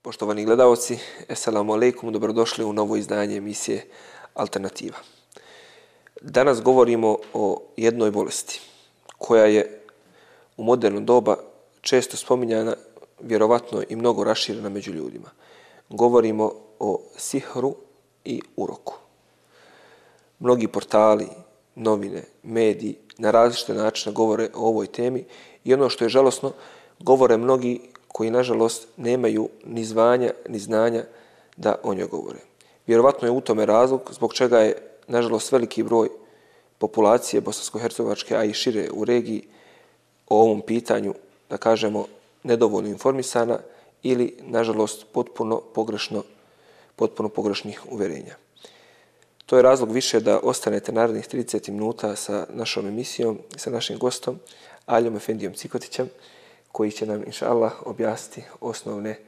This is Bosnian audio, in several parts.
Poštovani gledalci, assalamu alaikum, dobrodošli u novo izdanje emisije Alternativa. Danas govorimo o jednoj bolesti koja je u moderno doba često spominjana, vjerovatno i mnogo raširena među ljudima. Govorimo o sihru i uroku. Mnogi portali, novine, mediji na različite načine govore o ovoj temi i ono što je žalosno, govore mnogi koji nažalost nemaju ni zvanja ni znanja da o njoj govore. Vjerovatno je u tome razlog zbog čega je nažalost veliki broj populacije bosansko-hercegovačke, a i šire u regiji o ovom pitanju, da kažemo, nedovoljno informisana ili nažalost potpuno pogrešnih uverenja. To je razlog više da ostanete narednih 30 minuta sa našom emisijom i sa našim gostom Aljom Efendijom Cikotićem, koji će nam, inša Allah, objasniti osnovne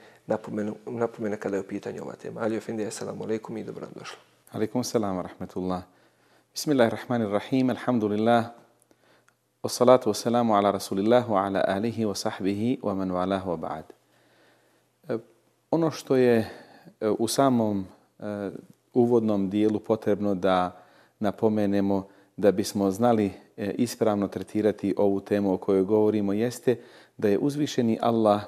napomene kada je u pitanju ova tema. Aljo Efendija, assalamu alaikum i dobro nam došlo. Alaikum salam wa rahmatullah. Bismillahirrahmanirrahim, alhamdulillah, wassalatu wassalamu ala rasulillah wa ala alihi wa sahbihi wa man walahu wa ba'd. Ono što je u samom uvodnom dijelu potrebno da napomenemo da bismo znali ispravno tretirati ovu temu o kojoj govorimo jeste da je uzvišeni Allah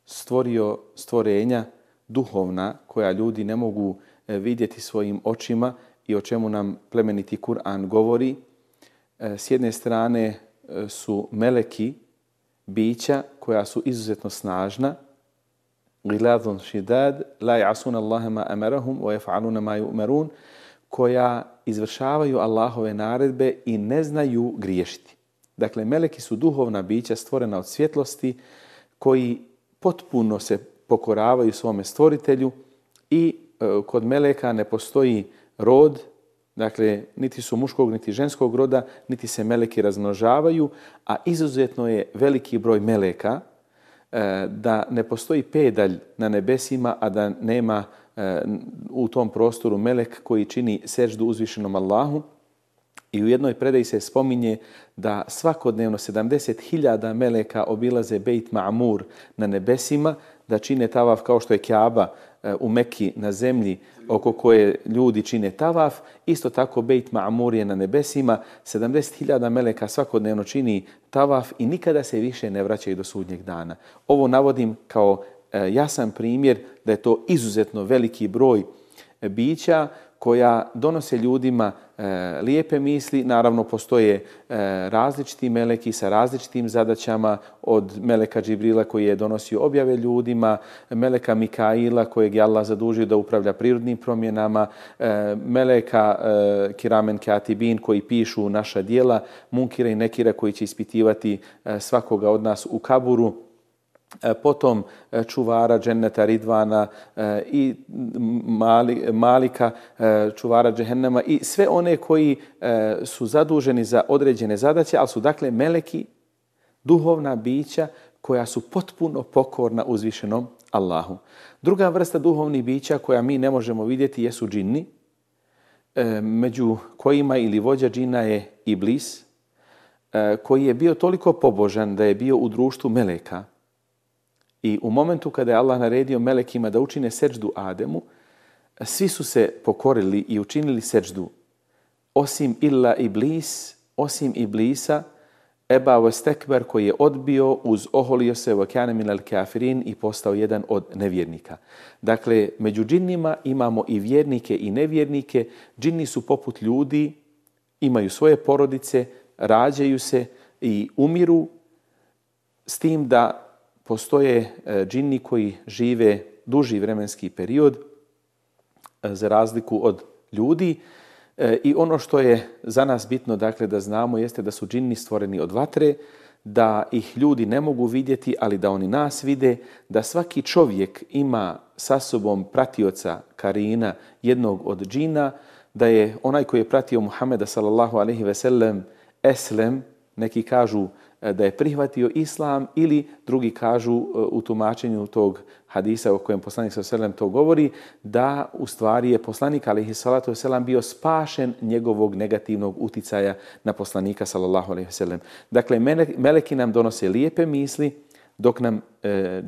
stvorio stvorenja duhovna koja ljudi ne mogu vidjeti svojim očima i o čemu nam plemeniti Kur'an govori. S jedne strane su meleki, bića koja su izuzetno snažna, gilazun šidad, la ya'asuna Allaha ma amarahum wa yaf'aluna ma yu'marun, koja izvršavaju Allahove naredbe i ne znaju griješiti. Dakle, meleki su duhovna bića stvorena od svjetlosti koji potpuno se pokoravaju svome stvoritelju i kod meleka ne postoji rod, dakle, niti su muškog niti ženskog roda, niti se meleki razmnožavaju, a izuzetno je veliki broj meleka da ne postoji pedalj na nebesima, a da nema u tom prostoru melek koji čini seždu uzvišenom Allahu. I u jednoj predaji se spominje da svakodnevno 70.000 meleka obilaze Bejt Ma'mur na nebesima, da čine tavaf kao što je Kjaba u Mekki na zemlji oko koje ljudi čine tavaf. Isto tako Bejt Ma'mur je na nebesima, 70.000 meleka svakodnevno čini tavaf i nikada se više ne vraćaju do sudnjeg dana. Ovo navodim kao jasan primjer da je to izuzetno veliki broj bića koja donose ljudima lijepe misli. Naravno, postoje različiti meleki sa različitim zadaćama, od meleka Džibrila koji je donosio objave ljudima, meleka Mikaila kojeg je Allah zadužio da upravlja prirodnim promjenama, meleka Kiramen Katibin koji pišu naša djela, Munkira i Nekira koji će ispitivati svakoga od nas u kaburu, potom čuvara dženneta Ridvana i Malika, čuvara džehennema i sve one koji su zaduženi za određene zadaće, ali su dakle meleki, duhovna bića koja su potpuno pokorna uzvišenom Allahu. Druga vrsta duhovnih bića koja mi ne možemo vidjeti jesu džinni, među kojima ili vođa džina je Iblis, koji je bio toliko pobožan da je bio u društvu meleka. I u momentu kada je Allah naredio melekima da učine seđdu Ademu, svi su se pokorili i učinili seđdu, osim osim Iblisa, Eba wastekber, koji je odbio, oholio se wa kana minal kafirin i postao jedan od nevjernika. Dakle, među džinnima imamo i vjernike i nevjernike. Džinni su poput ljudi, imaju svoje porodice, rađaju se i umiru, s tim da postoje džinni koji žive duži vremenski period za razliku od ljudi. I ono što je za nas bitno, dakle, da znamo jeste da su džinni stvoreni od vatre, da ih ljudi ne mogu vidjeti, ali da oni nas vide, da svaki čovjek ima sa sobom pratioca karina, jednog od džina, da je onaj koji je pratio Muhameda sallallahu alejhi ve sellem eslem, neki kažu da je prihvatio islam, ili drugi kažu u tumačenju tog hadisa o kojem poslanik sallallahu alejhi ve sellem to govori, da u stvari je poslanik alejhi salatu vesselam bio spašen njegovog negativnog uticaja na poslanika sallallahu alejhi ve sellem. Dakle, meleki nam donose lijepe misli, dok nam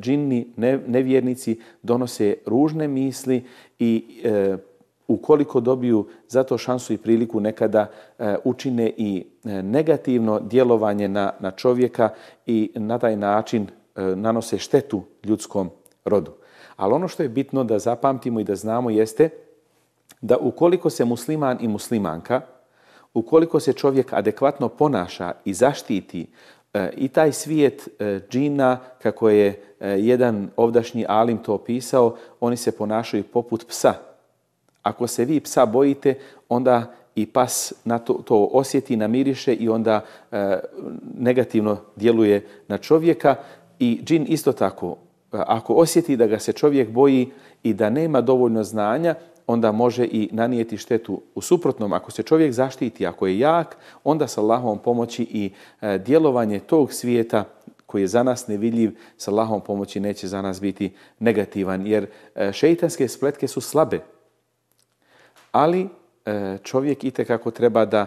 džini, nevjernici donose ružne misli i ukoliko dobiju za to šansu i priliku nekada učine i negativno djelovanje na čovjeka i na taj način nanose štetu ljudskom rodu. Ali ono što je bitno da zapamtimo i da znamo jeste da ukoliko se musliman i muslimanka, ukoliko se čovjek adekvatno ponaša i zaštiti i taj svijet džina, kako je jedan ovdašnji alim to opisao, oni se ponašaju poput psa. Ako se vi psa bojite, onda i pas na to osjeti, namiriše i onda negativno djeluje na čovjeka. I džin isto tako. Ako osjeti da ga se čovjek boji i da nema dovoljno znanja, onda može i nanijeti štetu. U suprotnom, ako se čovjek zaštiti, ako je jak, onda sa Allahovom pomoći i djelovanje tog svijeta koji je za nas nevidljiv, sa Allahovom pomoći neće za nas biti negativan. Jer šeitanske spletke su slabe. Ali čovjek itekako treba da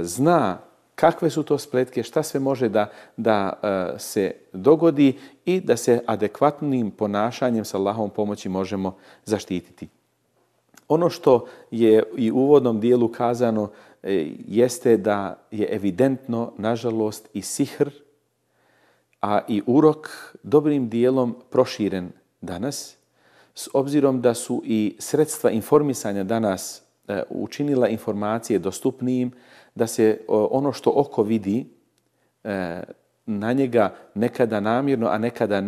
zna kakve su to spletke, šta sve može da se dogodi i da se adekvatnim ponašanjem sa Allahovom pomoći možemo zaštititi. Ono što je i u uvodnom dijelu kazano jeste da je evidentno, nažalost, i sihr, a i urok dobrim dijelom proširen danas, s obzirom da su i sredstva informisanja danas učinila informacije dostupnijim, da se ono što oko vidi na njega nekada namjerno, a nekada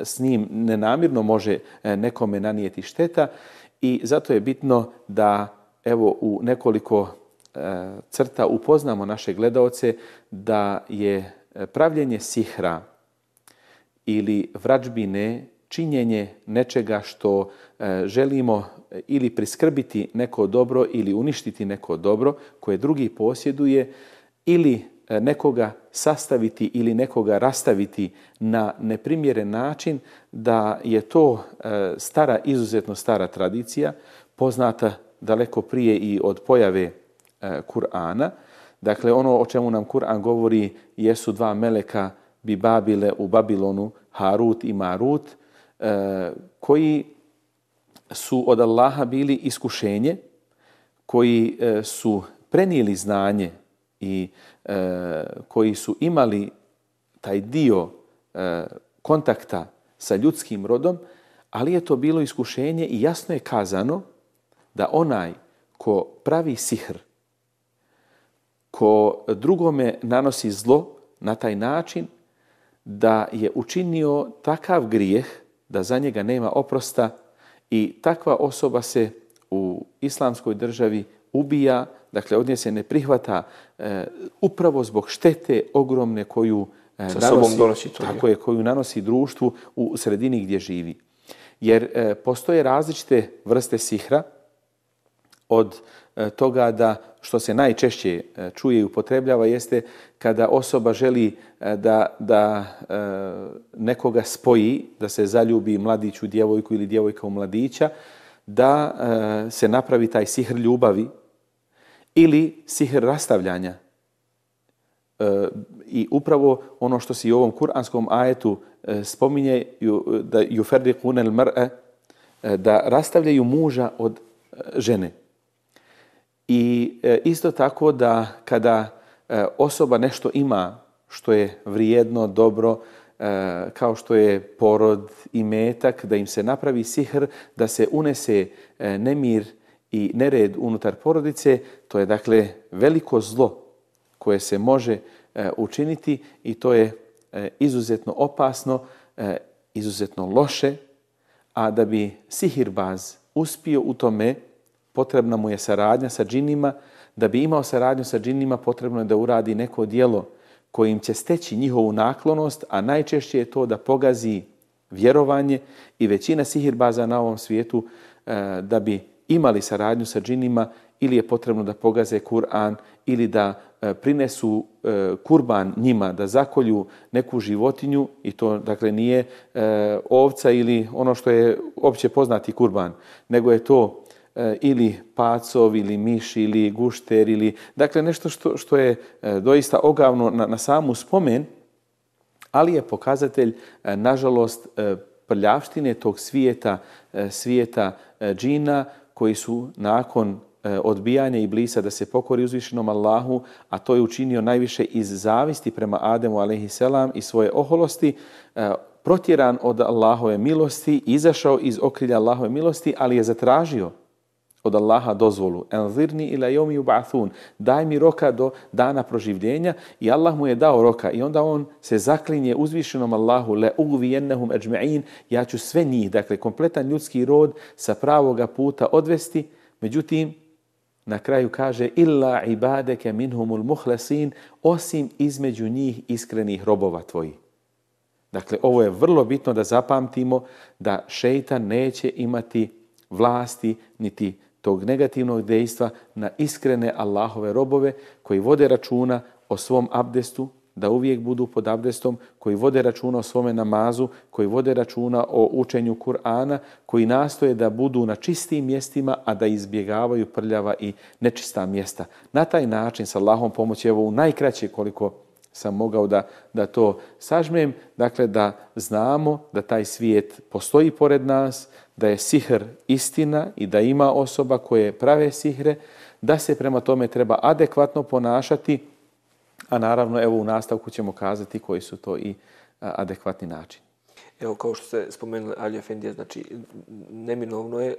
s njim nenamjerno može nekome nanijeti šteta. I zato je bitno da evo u nekoliko crta upoznamo naše gledaoce da je pravljenje sihra ili vrađbine, činjenje nečega što želimo ili priskrbiti neko dobro ili uništiti neko dobro koje drugi posjeduje ili nekoga sastaviti ili nekoga rastaviti na neprimjeren način, da je to izuzetno stara tradicija, poznata daleko prije i od pojave Kur'ana. Dakle, ono o čemu nam Kur'an govori jesu dva meleka Bibabile u Babilonu, Harut i Marut, koji su od Allaha bili iskušenje, koji su prenijeli znanje i koji su imali taj dio kontakta sa ljudskim rodom, ali je to bilo iskušenje i jasno je kazano da onaj ko pravi sihr, ko drugome nanosi zlo na taj način, da je učinio takav grijeh da za njega nema oprosta i takva osoba se u islamskoj državi ubija, dakle od nje se ne prihvata upravo zbog štete ogromne koju koju nanosi društvu u sredini gdje živi. Jer postoje različite vrste sihra, od toga da što se najčešće čuje i upotrebljava jeste kada osoba želi da nekoga spoji, da se zaljubi mladić u djevojku ili djevojka u mladića, da se napravi taj sihr ljubavi ili sihr rastavljanja. I upravo ono što se i u ovom kuranskom ajetu spominje, da yufarriquna al-mar'a, da rastavljaju muža od žene. I isto tako da kada osoba nešto ima što je vrijedno, dobro, kao što je porod i metak, da im se napravi sihr, da se unese nemir i nered unutar porodice, to je dakle veliko zlo koje se može učiniti i to je izuzetno opasno, izuzetno loše, a da bi sihirbaz uspio u tome, potrebna mu je saradnja sa džinima. Da bi imao saradnju sa džinima, potrebno je da uradi neko djelo kojim će steći njihovu naklonost, a najčešće je to da pogazi vjerovanje i većina sihirbaza na ovom svijetu da bi imali saradnju sa džinima ili je potrebno da pogaze Kur'an ili da prinesu kurban njima, da zakolju neku životinju i to dakle nije ovca ili ono što je opće poznati kurban, nego je to ili pacov ili miš ili gušter ili dakle nešto što je doista ogavno na samu spomen, ali je pokazatelj, nažalost, prljavštine tog svijeta džina koji su nakon odbijanja Iblisa da se pokori uzvišenom Allahu, a to je učinio najviše iz zavisti prema Ademu a.s. i svoje oholosti, protjeran od Allahove milosti, izašao iz okrilja Allahove milosti, ali je zatražio od Allaha dozvolu. Enzirni ila jomi yub'athun. Daj mi roka do dana proživljenja, i Allah mu je dao roka i onda on se zaklinje uzvišenom Allahu, le ugvijennahum ajma'in, ja ću sve njih, dakle kompletan ljudski rod sa pravoga puta odvesti. Međutim, na kraju kaže illa ibadeke minhumul muhlasin, osim između njih iskrenih robova tvojih. Dakle, ovo je vrlo bitno da zapamtimo, da šejtan neće imati vlasti niti tog negativnog dejstva na iskrene Allahove robove koji vode računa o svom abdestu, da uvijek budu pod abdestom, koji vode računa o svome namazu, koji vode računa o učenju Kur'ana, koji nastoje da budu na čistim mjestima, a da izbjegavaju prljava i nečista mjesta. Na taj način, sa Allahom pomoći, evo u najkraće koliko sam mogao da to sažmem, dakle da znamo da taj svijet postoji pored nas, da je sihr istina i da ima osoba koje prave sihre, da se prema tome treba adekvatno ponašati, a naravno evo u nastavku ćemo kazati koji su to i adekvatni načini. Evo, kao što ste spomenuli, Ali Efendija, znači, neminovno je,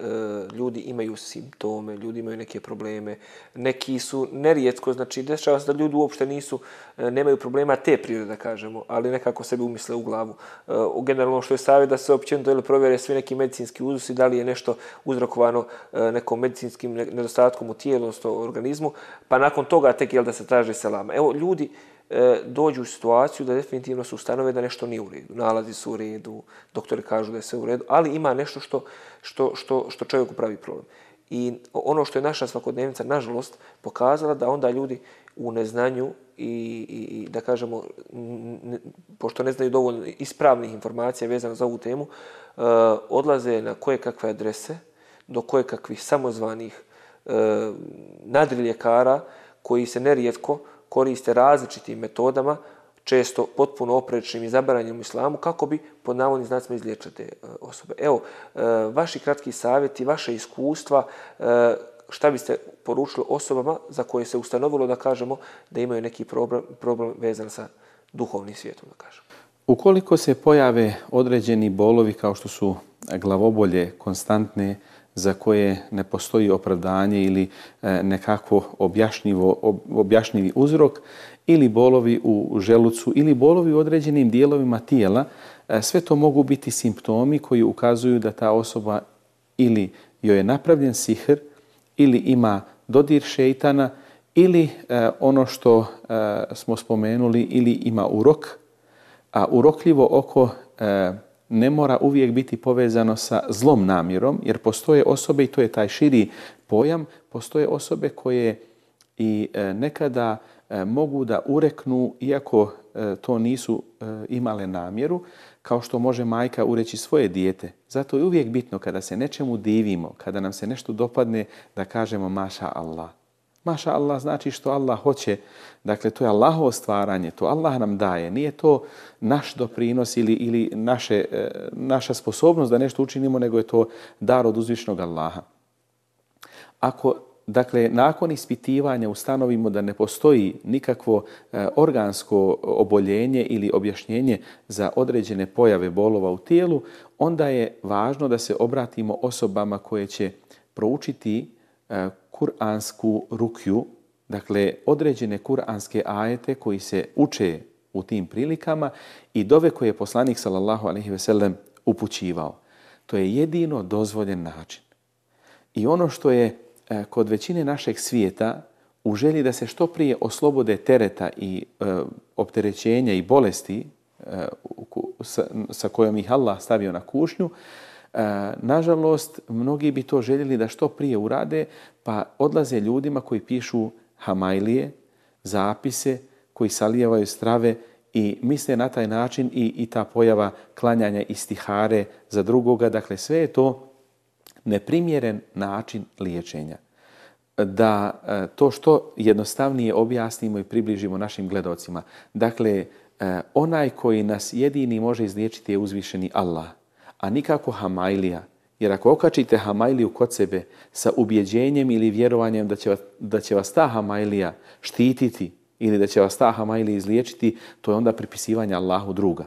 ljudi imaju simptome, ljudi imaju neke probleme, neki su nerijetko, znači, dešava se da ljudi uopšte nemaju problema te prirode, da kažemo, ali nekako sebi umisle u glavu. Generalno što je savjet da se općenito provjere svi neki medicinski uzusi, da li je nešto uzrokovano nekom medicinskim nedostatkom u tijelu, odnosno organizmu, pa nakon toga tek da se traži selama. Evo, ljudi dođu u situaciju da definitivno su ustanove da nešto nije u redu. Nalazi su u redu, doktori kažu da je sve u redu, ali ima nešto što čovjeku pravi problem. I ono što je naša svakodnevnica, nažalost, pokazala da onda ljudi u neznanju i da kažemo, pošto ne znaju dovoljno ispravnih informacija vezano za ovu temu, odlaze na kojekakve adrese, do kojekakvih samozvanih nadriljekara koji se nerijetko koriste različitim metodama, često potpuno oprečnim i zabranjenim u islamu, kako bi pod navodnim znacima izliječili te osobe. Evo, vaši kratki savjeti, vaše iskustva, šta biste poručili osobama za koje se ustanovilo, da kažemo, da imaju neki problem vezan sa duhovnim svijetom, da kažemo? Ukoliko se pojave određeni bolovi kao što su glavobolje konstantne, za koje ne postoji opravdanje ili nekako objašnjivi uzrok, ili bolovi u želucu, ili bolovi u određenim dijelovima tijela, sve to mogu biti simptomi koji ukazuju da ta osoba ili joj je napravljen sihr, ili ima dodir šejtana, ili ono što smo spomenuli, ili ima urok, a urokljivo oko ne mora uvijek biti povezano sa zlom namjerom, jer postoje osobe, i to je taj širi pojam, postoje osobe koje i nekada mogu da ureknu, iako to nisu imale namjeru, kao što može majka ureći svoje dijete. Zato je uvijek bitno kada se nečemu divimo, kada nam se nešto dopadne, da kažemo maša Allah. Maša Allah znači što Allah hoće. Dakle, to je Allahovo stvaranje, to Allah nam daje. Nije to naš doprinos ili naša sposobnost da nešto učinimo, nego je to dar od uzvišnog Allaha. Ako, dakle, nakon ispitivanja ustanovimo da ne postoji nikakvo organsko oboljenje ili objašnjenje za određene pojave bolova u tijelu, onda je važno da se obratimo osobama koje će proučiti kuransku rukju, dakle određene kuranske ajete koji se uče u tim prilikama i dove koje je poslanik sallallahu alejhi ve sellem upućivao. To je jedino dozvoljen način. I ono što je kod većine našeg svijeta u želji da se što prije oslobode tereta i opterećenja i bolesti sa kojom ih Allah stavio na kušnju, nažalost, mnogi bi to željeli da što prije urade, pa odlaze ljudima koji pišu hamajlije, zapise, koji salijevaju strave i misle na taj način i ta pojava klanjanja istihare za drugoga. Dakle, sve je to neprimjeren način liječenja. Da to što jednostavnije objasnimo i približimo našim gledalcima. Dakle, onaj koji nas jedini može izliječiti je uzvišeni Allah, a nikako hamailija. Jer ako okačite hamailiju kod sebe sa ubjeđenjem ili vjerovanjem da će vas ta hamailija štititi ili da će vas ta hamailija izliječiti, to je onda pripisivanje Allahu druga.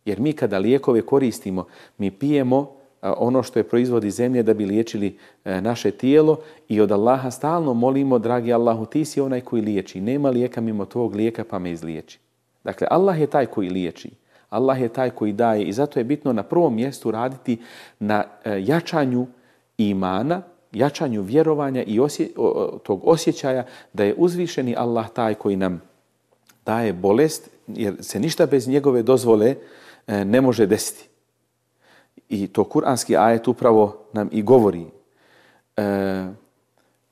Jer mi kada lijekove koristimo, mi pijemo ono što je proizvodi zemlje da bi liječili naše tijelo i od Allaha stalno molimo, dragi Allahu, ti si onaj koji liječi. Nema lijeka mimo tvog lijeka pa me izliječi. Dakle, Allah je taj koji liječi. Allah je taj koji daje i zato je bitno na prvom mjestu raditi na jačanju imana, jačanju vjerovanja i tog osjećaja da je uzvišeni Allah taj koji nam daje bolest, jer se ništa bez njegove dozvole ne može desiti. I to kuranski ajet upravo nam i govori.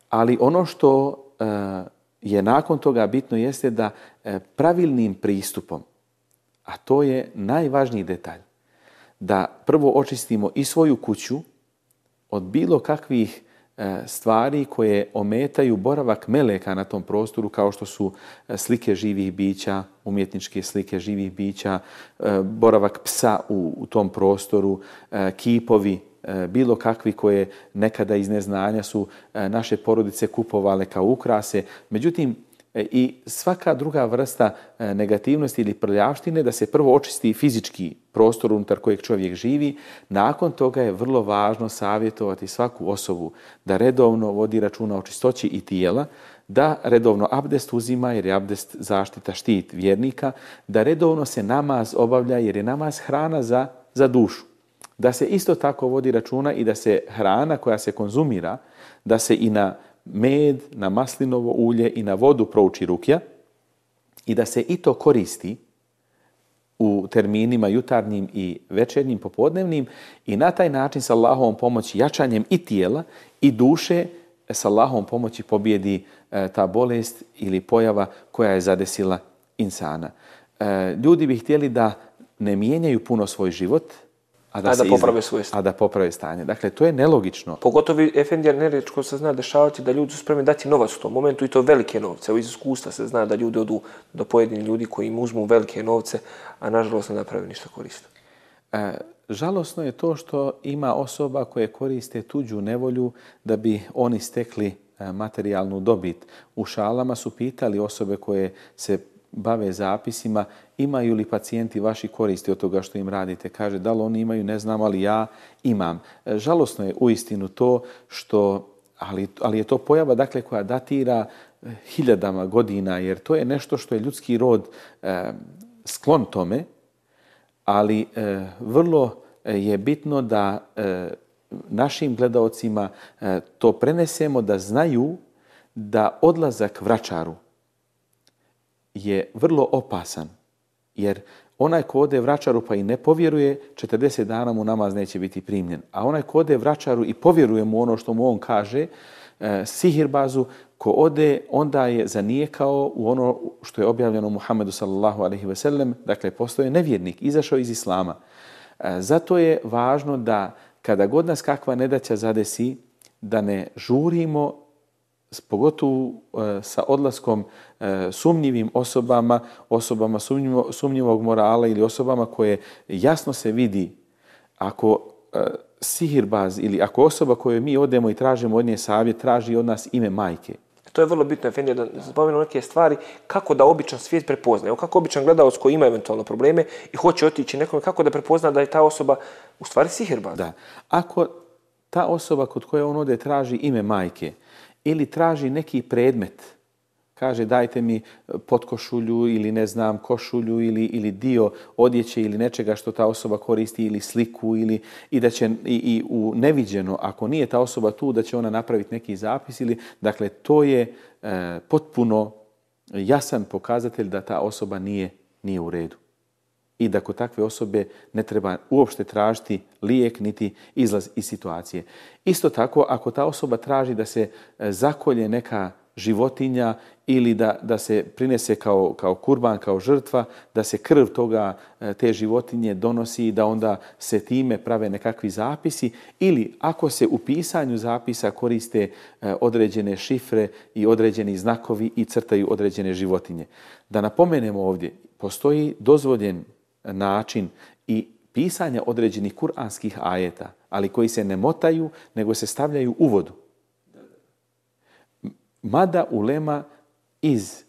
Ali ono što je nakon toga bitno jeste da pravilnim pristupom, a to je najvažniji detalj, da prvo očistimo i svoju kuću od bilo kakvih stvari koje ometaju boravak meleka na tom prostoru, kao što su slike živih bića, umjetničke slike živih bića, boravak psa u tom prostoru, kipovi, bilo kakvi koje nekada iz neznanja su naše porodice kupovale kao ukrase. Međutim, i svaka druga vrsta negativnosti ili prljavštine, da se prvo očisti fizički prostor unutar kojeg čovjek živi. Nakon toga je vrlo važno savjetovati svaku osobu da redovno vodi računa o čistoći i tijela, da redovno abdest uzima jer je abdest zaštita, štit vjernika, da redovno se namaz obavlja jer je namaz hrana za dušu. Da se isto tako vodi računa i da se hrana koja se konzumira, da se i na med, na maslinovo ulje i na vodu prouči rukja i da se i to koristi u terminima jutarnjim i večernjim, popodnevnim i na taj način s Allahovom pomoći, jačanjem i tijela i duše, s Allahovom pomoći pobjedi ta bolest ili pojava koja je zadesila insana. Ljudi bi htjeli da ne mijenjaju puno svoj život, a da poprave stanje. Dakle, to je nelogično. Pogotovo, efendija, nerijetko se zna dešavati da ljudi su spremni dati novac u tom momentu i to velike novce. Iz iskustva se zna da ljudi odu do pojedinih ljudi koji im uzmu velike novce, a nažalost ne naprave ništa korisno. Žalosno je to što ima osoba koje koriste tuđu nevolju da bi oni stekli materijalnu dobit. U šalama su pitali osobe koje se bave zapisima, imaju li pacijenti vaši koristi od toga što im radite? Kaže, da li oni imaju, ne znam, ali ja imam. Žalosno je uistinu to što, ali je to pojava dakle koja datira hiljadama godina, jer to je nešto što je ljudski rod sklon tome, ali vrlo je bitno da našim gledaocima to prenesemo, da znaju da odlazak vračaru je vrlo opasan, jer onaj ko ode vračaru pa i ne povjeruje, 40 dana mu namaz neće biti primljen. A onaj ko ode vračaru i povjeruje mu ono što mu on kaže, sihirbazu, ko ode, onda je zanijekao u ono što je objavljeno Muhammedu sallallahu alejhi ve sellem, dakle postoje nevjernik, izašao iz islama. Zato je važno da kada god nas kakva nedaća zadesi, da ne žurimo, pogotovo sa odlaskom sumnjivim osobama sumnjivog morala ili osobama koje jasno se vidi ako sihirbaz ili ako osoba koju mi odemo i tražimo od nje savjet, traži od nas ime majke. To je vrlo bitno, Efendija, da spomenu neke stvari kako da običan svijet prepozna. Evo kako običan gledalac koji ima eventualno probleme i hoće otići nekome, kako da prepozna da je ta osoba u stvari sihirbaz. Da. Ako ta osoba kod koje on ode traži ime majke ili traži neki predmet, kaže dajte mi potkošulju ili ne znam košulju ili dio odjeće ili nečega što ta osoba koristi ili sliku i da će i u neviđeno, ako nije ta osoba tu, da će ona napraviti neki zapis ili, dakle, to je potpuno jasan pokazatelj da ta osoba nije u redu. I da kod takve osobe ne treba uopšte tražiti lijek niti izlaz iz situacije. Isto tako, ako ta osoba traži da se zakolje neka životinja ili da se prinese kao kurban, kao žrtva, da se krv te životinje donosi i da onda se time prave nekakvi zapisi, ili ako se u pisanju zapisa koriste određene šifre i određeni znakovi i crtaju određene životinje. Da napomenemo ovdje, postoji dozvoljen način i pisanja određenih kuranskih ajeta, ali koji se ne motaju, nego se stavljaju u vodu. Mada ulema iz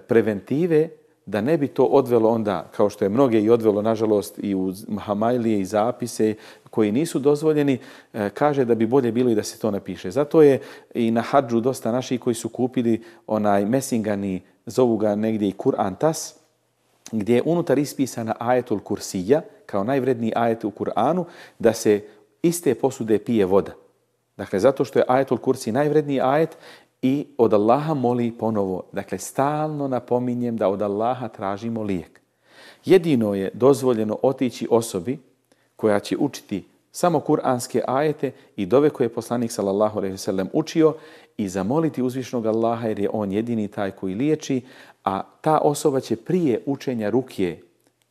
preventive, da ne bi to odvelo onda, kao što je mnoge i odvelo, nažalost, i u hamajlije i zapise koji nisu dozvoljeni, kaže da bi bolje bilo i da se to napiše. Zato je i na hadžu dosta naših koji su kupili onaj mesingani, zovu ga negdje i Kur'an Tas, gdje je unutar ispisana ajetul kursija, kao najvredniji ajet u Kur'anu, da se iz te posude pije voda. Dakle, zato što je ajetul kursi najvredniji ajet i od Allaha moli ponovo. Dakle, stalno napominjem da od Allaha tražimo lijek. Jedino je dozvoljeno otići osobi koja će učiti samo kuranske ajete i dove koje je poslanik sallallahu alejhi ve sellem učio i zamoliti uzvišnog Allaha jer je on jedini taj koji liječi, a ta osoba će prije učenja rukje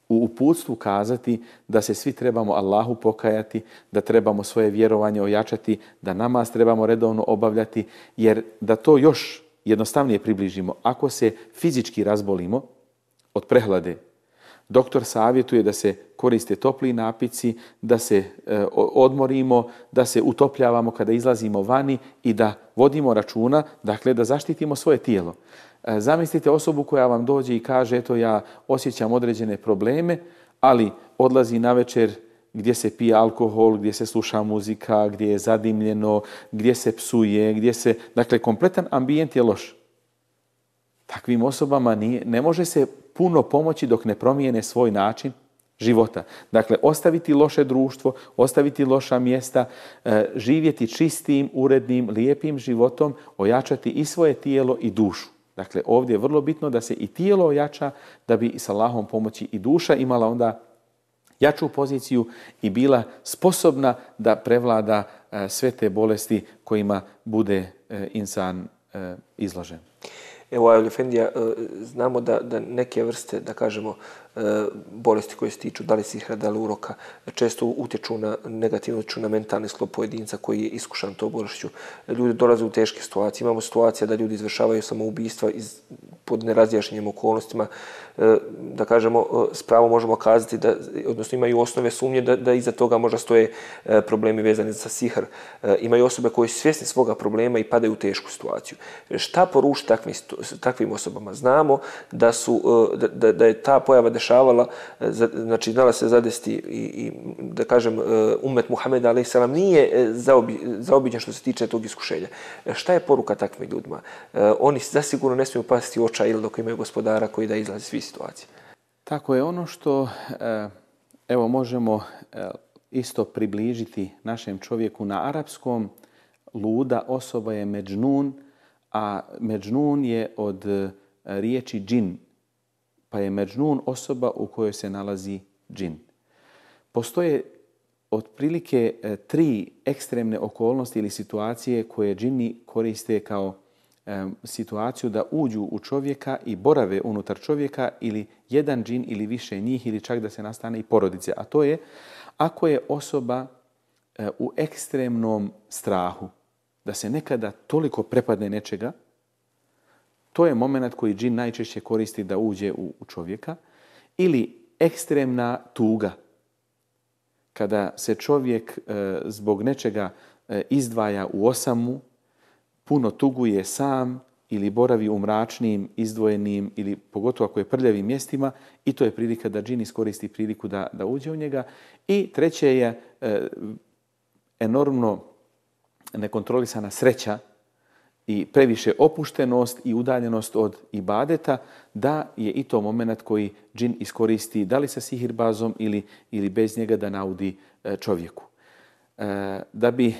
u uputstvu kazati da se svi trebamo Allahu pokajati, da trebamo svoje vjerovanje ojačati, da namaz trebamo redovno obavljati, jer da to još jednostavnije približimo, ako se fizički razbolimo od prehlade, doktor savjetuje da se koriste topli napici, da se odmorimo, da se utopljavamo kada izlazimo vani i da vodimo računa, dakle da zaštitimo svoje tijelo. Zamislite osobu koja vam dođe i kaže eto ja osjećam određene probleme, ali odlazi navečer gdje se pije alkohol, gdje se sluša muzika, gdje je zadimljeno, gdje se psuje, dakle kompletan ambijent je loš. Takvim osobama ne može se puno pomoći dok ne promijene svoj način života. Dakle, ostaviti loše društvo, ostaviti loša mjesta, živjeti čistim, urednim, lijepim životom, ojačati i svoje tijelo i dušu. Dakle, ovdje je vrlo bitno da se i tijelo ojača, da bi s Allahom pomoći i duša imala onda jaču poziciju i bila sposobna da prevlada sve te bolesti kojima bude insan izložen. Evo, Ajul Efendija, znamo da neke vrste, da kažemo, bolesti koje se tiču, da li sihra, da li uroka, često utječu negativno utječu na mentalni sklop pojedinca koji je iskušan to bolešću. Ljudi dolaze u teške situacije. Imamo situacija da ljudi izvršavaju samoubistva pod nerazjašnjenim okolnostima. Da kažemo, s pravom možemo kazati, odnosno imaju osnove sumnje da iza toga možda stoje problemi vezani za sihr. Imaju osobe koji su svjesni svoga problema i padaju u tešku situaciju. Šta poručiti takvim osobama? Znamo da je ta pojava dešavala, znači znala se zadesti i da kažem umet Muhameda alejhi selam nije zaobiđen što se tiče tog iskušenja. Šta je poruka takvim ljudima? Oni zasigurno ne smiju pasti u očaj ili dok imaju gospodara koji da izlazi svih situacija. Tako je, ono što evo možemo isto približiti našem čovjeku na arapskom, luda osoba je međnun, a međnun je od riječi džin, pa je međnun osoba u kojoj se nalazi džin. Postoje otprilike 3 ekstremne okolnosti ili situacije koje džini koriste kao situaciju da uđu u čovjeka i borave unutar čovjeka ili jedan džin ili više njih ili čak da se nastane i porodice. A to je ako je osoba u ekstremnom strahu, da se nekada toliko prepadne nečega, to je moment koji džin najčešće koristi da uđe u čovjeka. Ili ekstremna tuga, kada se čovjek zbog nečega izdvaja u osamu, puno tuguje sam ili boravi u mračnim, izdvojenim ili pogotovo ako je prljavim mjestima i to je prilika da džin iskoristi priliku da uđe u njega. I treće je enormno nekontrolisana sreća i previše opuštenost i udaljenost od ibadeta, da je i to moment koji džin iskoristi da li sa sihirbazom ili bez njega da naudi čovjeku. Da bi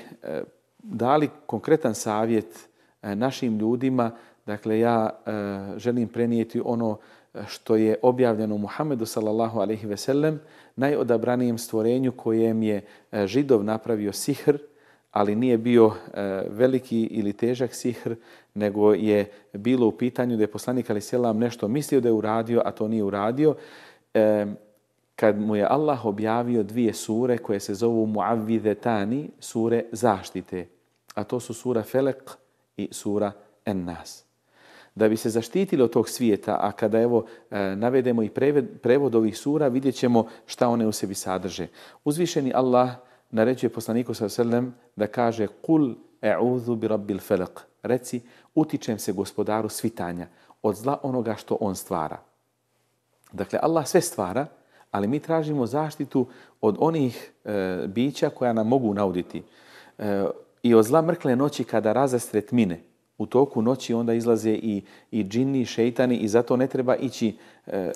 dali konkretan savjet našim ljudima, dakle ja želim prenijeti ono što je objavljeno Muhammedu sallallahu alejhi ve sellem, najodabranijem stvorenju kojem je Židov napravio sihr, ali nije bio veliki ili težak sihr, nego je bilo u pitanju da je poslanik alejhi selam nešto mislio da je uradio, a to nije uradio. Kad mu je Allah objavio 2 sure koje se zovu Muavvidetani, sure zaštite, a to su sura Felek i sura En-Nas. Da bi se zaštitili od tog svijeta, a kada evo navedemo i prevod ovih sura, vidjet ćemo šta one u sebi sadrže. Uzvišeni Allah naređuje poslaniku s.a.v. da kaže Kul e'udhu bi rabbil felaq. Reci, utičem se gospodaru svitanja od zla onoga što on stvara. Dakle, Allah sve stvara, ali mi tražimo zaštitu od onih bića koja nam mogu nauditi. I od zla mrkle noći kada razastre tmine. U toku noći onda izlaze i džini, i šeitani i zato ne treba ići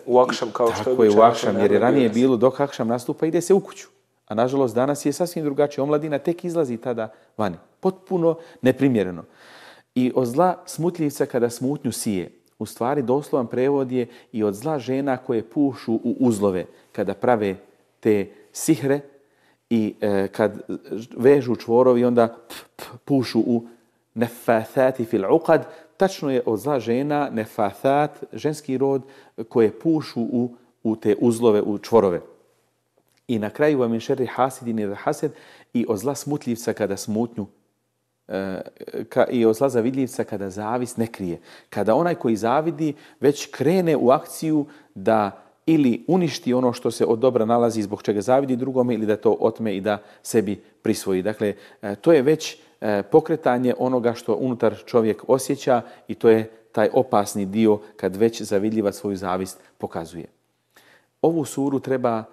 u akšam kao što je u akšam, jer je ranije bilo dok akšam nastupa ide se u kuću. A nažalost danas je sasvim drugačije. Omladina tek izlazi tada vani. Potpuno neprimjereno. I od zla smutljivca kada smutnju sije. U stvari doslovan prevod je i od zla žena koje pušu u uzlove kada prave te sihre i kad vežu čvorovi onda pušu u nefathati fil uqad. Tačno je od zla žena nefathat, ženski rod, koje pušu u te uzlove, u čvorove. I na kraju wa min šerri hasidin idha hased, i od zla smutljivca kada smutnju i od zla zavidljivca kada zavist ne krije. Kada onaj koji zavidi već krene u akciju da ili uništi ono što se od dobra nalazi zbog čega zavidi drugome ili da to otme i da sebi prisvoji. Dakle, to je već pokretanje onoga što unutar čovjek osjeća i to je taj opasni dio kad već zavidljivac svoju zavist pokazuje. Ovu suru treba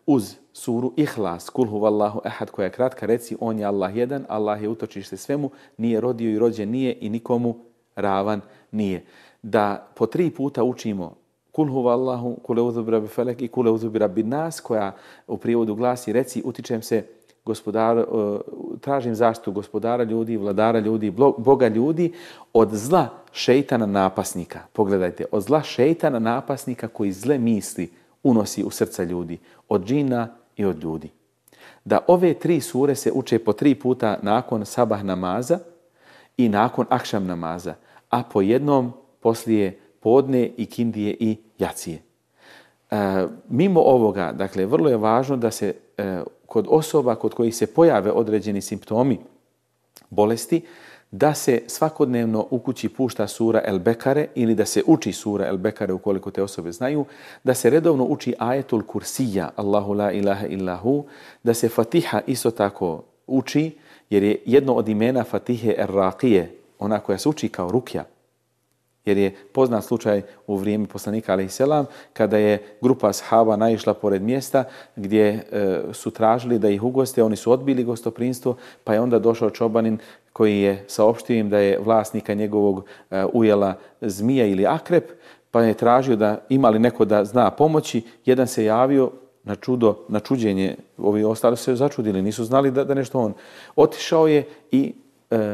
uz suru Ihlas, Kul huvallahu ehad, koja je kratka, reci on je Allah jedan, Allah je utočište svemu, nije rodio i rođen nije i nikomu ravan nije. Da po 3 puta učimo Kul huvallahu, kul eudhu bi rabbi felek i kul eudhu bi rabbi nas, koja u prijevodu glasi reci utičem se tražim zaštitu gospodara ljudi, vladara ljudi, Boga ljudi od zla šejtana napasnika. Pogledajte, od zla šejtana napasnika koji zle misli unosi u srca ljudi, od džina i od ljudi. Da ove 3 sure se uče po 3 puta nakon sabah namaza i nakon akšam namaza, a po jednom poslije podne i kindije i jacije. Mimo ovoga, dakle, vrlo je važno da se kod osoba kod kojih se pojave određeni simptomi bolesti, da se svakodnevno u kući pušta sura El Bekare ili da se uči sura El Bekare ukoliko te osobe znaju, da se redovno uči ajetul kursija, Allahu la ilaha illahu, da se Fatiha isto tako uči, jer je jedno od imena Fatihe Er-Raqije, ona koja se uči kao rukja. Jer je poznat slučaj u vrijeme poslanika alejselam kada je grupa ashaba naišla pored mjesta gdje su tražili da ih ugoste, oni su odbili gostoprinstvo, pa je onda došao čobanin koji je saopštio im da je vlasnika njegovog ujela zmija ili akrep, pa je tražio da ima li neko da zna pomoći. Jedan se javio na čuđenje, ovi ostali se začudili, nisu znali da nešto on. Otišao je i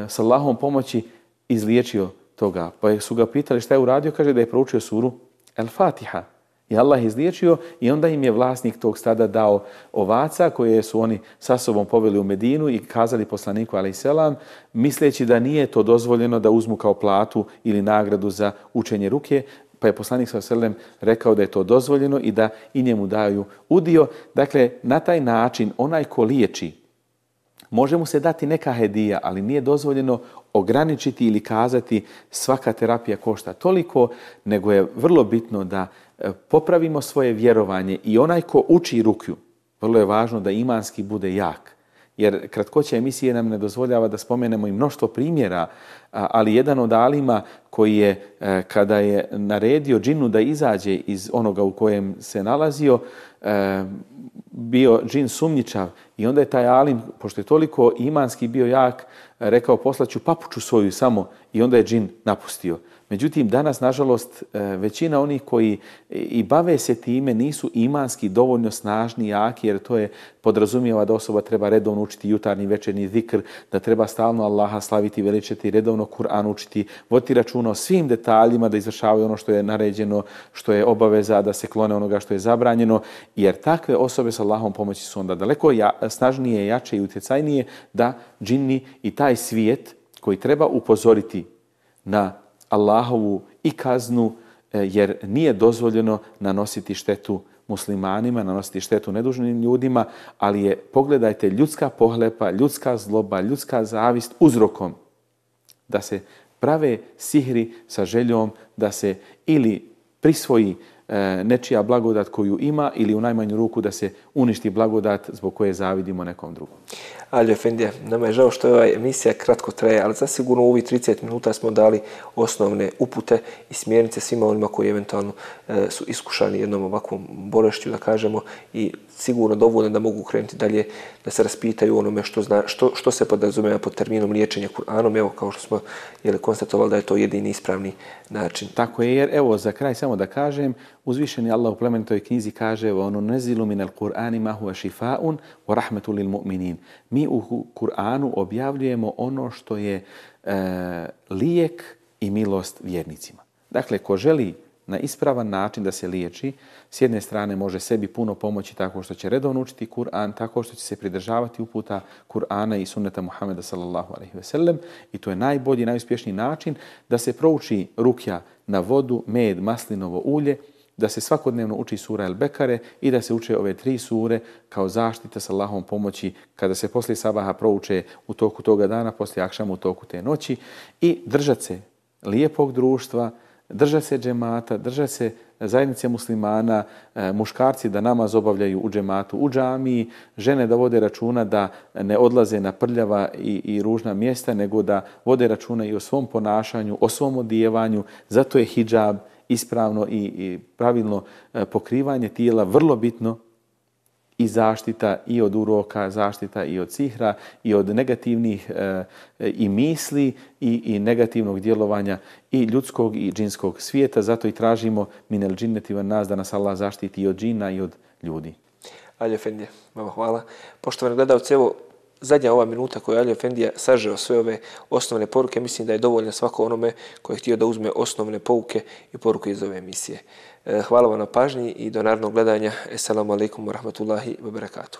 s Allahom pomoći izliječio toga. Pa su ga pitali šta je uradio, kaže da je proučio suru El-Fatiha. I Allah izliječio i onda im je vlasnik tog stada dao ovaca koje su oni sa sobom poveli u Medinu i kazali poslaniku alejselam, misleći da nije to dozvoljeno da uzmu kao platu ili nagradu za učenje ruke, pa je poslanik s.a.v. rekao da je to dozvoljeno i da i njemu daju udio. Dakle, na taj način onaj ko liječi, može mu se dati neka hedija, ali nije dozvoljeno ograničiti ili kazati svaka terapija košta toliko, nego je vrlo bitno da popravimo svoje vjerovanje i onaj ko uči rukju, vrlo je važno da imanski bude jak. Jer kratkoća emisije nam ne dozvoljava da spomenemo i mnoštvo primjera, ali jedan od alima koji je, kada je naredio džinu da izađe iz onoga u kojem se nalazio, bio džin sumnjičav i onda je taj alim, pošto je toliko imanski bio jak, rekao poslaću papuču svoju samo i onda je džin napustio. Međutim, danas, nažalost, većina onih koji i bave se time nisu imanski dovoljno snažni, jaki, jer to je podrazumijeva da osoba treba redovno učiti jutarnji, večernji zikr, da treba stalno Allaha slaviti, veličati, redovno Kur'an učiti, voditi računa o svim detaljima, da izvršavaju ono što je naređeno, što je obaveza, da se klone onoga što je zabranjeno, jer takve osobe sa Allahom pomoći su onda daleko snažnije, jače i utjecajnije da džinni i taj svijet koji treba upozoriti na Allahovu i kaznu, jer nije dozvoljeno nanositi štetu muslimanima, nanositi štetu nedužnim ljudima, ali je, pogledajte, ljudska pohlepa, ljudska zloba, ljudska zavist uzrokom da se prave sihri sa željom da se ili prisvoji nečija blagodat koju ima ili u najmanju ruku da se uništi blagodat zbog koje zavidimo nekom drugom. Alio Efendija, nama je žao što je ova emisija kratko traje, ali zasigurno u ovih 30 minuta smo dali osnovne upute i smjernice svima onima koji eventualno su iskušani jednom ovakvom bolešću, da kažemo, i sigurno dovoljno da mogu krenuti dalje, da se raspitaju onome što se podrazumijeva pod terminom liječenja Kur'anom. Evo, kao što smo konstatovali da je to jedini ispravni način. Tako je, jer evo za kraj samo da kažem, uzvišeni Allah u plemenitoj knjizi kaže ono nezilu minal Kur'ani ma huwa šifa'un wa rahmetu lil mu'minin. Mi u Kur'anu objavljujemo ono što je lijek i milost vjernicima. Dakle, ko želi na ispravan način da se liječi, s jedne strane može sebi puno pomoći tako što će redovno učiti Kur'an, tako što će se pridržavati uputa Kur'ana i sunneta Muhameda sallallahu alejhi ve sellem, i to je najbolji, najuspješniji način da se prouči rukja na vodu, med, maslinovo ulje, da se svakodnevno uči sura El-Bekare i da se uče ove 3 sure kao zaštita sa Allahovom pomoći kada se poslije sabaha prouče u toku toga dana, poslije akšama u toku te noći, i držat se lijepog društva, držat se džemata, držat se zajednice muslimana, muškarci da namaz obavljaju u džematu, u džamiji, žene da vode računa da ne odlaze na prljava i ružna mjesta, nego da vode računa i o svom ponašanju, o svom odjevanju. Zato je hidžab, ispravno i pravilno pokrivanje tijela vrlo bitno, i zaštita i od uroka, zaštita i od sihra i od negativnih i misli i negativnog djelovanja i ljudskog i džinskog svijeta. Zato i tražimo minel džinneti van nas da nas Allah zaštiti i od džina i od ljudi. Alio Efendija, vama hvala. Poštovani gledalci, evo zadnja ova minuta koju je Alio Efendija sažeo sve ove osnovne poruke, mislim da je dovoljno svako onome koji je htio da uzme osnovne pouke i poruke iz ove emisije. Hvala vam na pažnji i do narednog gledanja. Assalamu alaikum wa rahmatullahi wa barakatuh.